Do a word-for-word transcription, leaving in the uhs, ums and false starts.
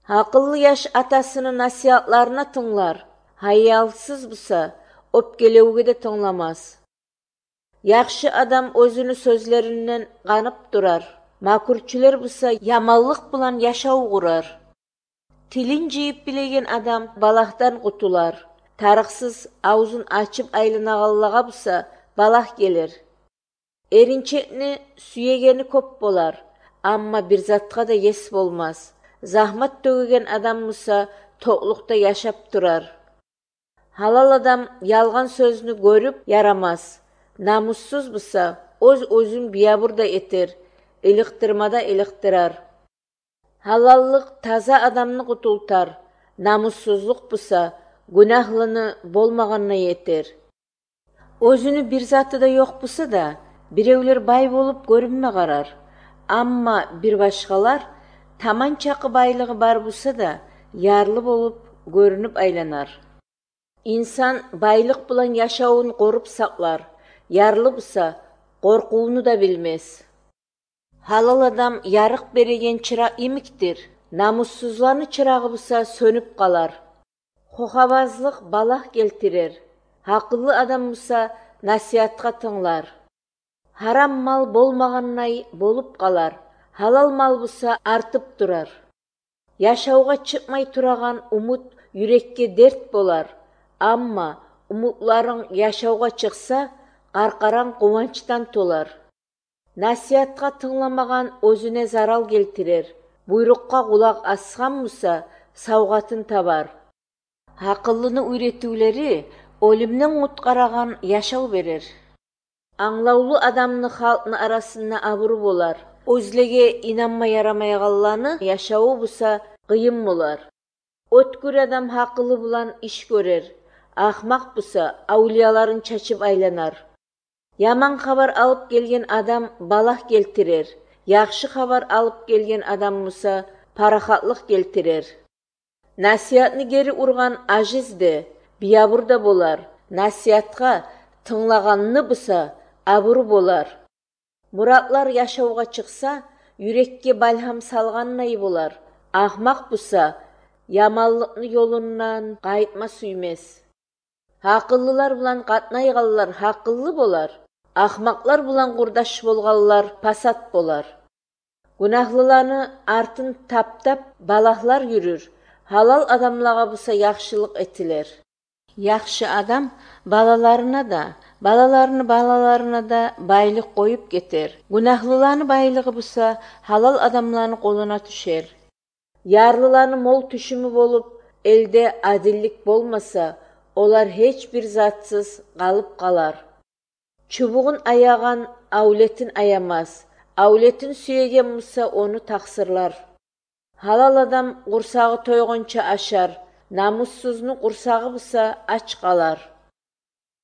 Гьакъыллы яш атасыны насигьатларына тынглар, гьаялсыз буса, оьпкелевге де тынгламас. Яхшы адам оьзюню сёзлеринден къанып турар, макручулар буса яманлыкъ булан яшав къурар. Тилин жыйып билеген адам балагьдан къутулар, тарыкъсыз авзун ачып айланагъанлагъа буса балагь гелир. Эринчекни сюегени кёп болар, амма бир затгъа да ес болмас. Загьмат тёгеген адам буса токълукъда яшап турар. Гьалал адам ялгъан сёзню гёрюп ярамас, намуссуз буса оьз-оьзюн биябур да этер, иликъдирма да иликъдирар. Гьалаллыкъ таза адамны къутултар, намуссузлукъ буса гюнагьлыны болмагъанына етер. Оьзюню бир заты да ёкъ буса да, биревлер бай болуп гёрюнме къарар. Амма бир башгъалар таман чакъы байлыгъы бар буса да, ярлы болуп гёрюнюп айланар. Инсан байлыкъ булан яшавун къоруп сакълар, ярлы буса къоркъувну да билмес. Гьалал адам ярыкъ береген чыракъ йимикдир, намуссузланы чырагъы буса сёнюп къалар. Хохабазлыкъ балагь гелтирер, гьакъыллы адам буса насигьатгъа тынглар. Гьарам мал болмагъандай болуп къалар, гьалал мал буса артып турар. Яшавгъа чыкъмай турагъан умут юрекге дерт болар, амма умутларынг яшавгъа чыкъса, къаркъаранг къуванчдан толар. Насигьатгъа тынгламагъан оьзюне зарал гелтирер, буйрукъгъа къулакъ асгъан буса, савгъатын табар. Гьакъыллыны уьйретивлери оьлюмден къутгъарагъан яшав берер. Англавлу адамны халкъны арасында абуру болар, оьзлеге инанма ярамайгъанланы яшаву буса къыйын болар. Оьткюр адам гьакъылы булан иш гёрер, ахмакъ буса авлияларын чачып айланар. Яман хабар алып гелген адам балагь гелтирер, яхшы хабар алып гелген адам буса парахатлыкъ гелтирер. Насигьатны гери ургъан ажиз де, биябур да болар, насигьатгъа тынглагъанны буса абуру болар. Муратлар яшавгъа чыкъса, юрекге балгьам салгъандай болар, ахмакъ буса яманлыкъны ёлундан къайтма сюймес. Гьакъыллылар булан къатнайгъанлар гьакъыллы болар, ахмакълар булан къурдаш болгъанлар пасат болар. Гюнагьлыланы артын таптап балагьлар юрюр, гьалал адамлагъа буса яхшылыкъ этилер. Яхшы адам балаларына да, балаларыны балаларына да байлыкъ къоюп гетер. Гюнагьлыланы байлыгъы буса гьалал адамланы къолуна тюшер. Ярлыланы мол тюшюмю болуп, элде адиллик болмаса, олар гьеч бир затсыз къалып къалар. Чубугъун аягъан авлетин аямас, авлетин сюеген буса, ону такъсырлар. Гьалал адам къурсагъы тойгъунча ашар, намуссузну къурсагъы буса ач къалар.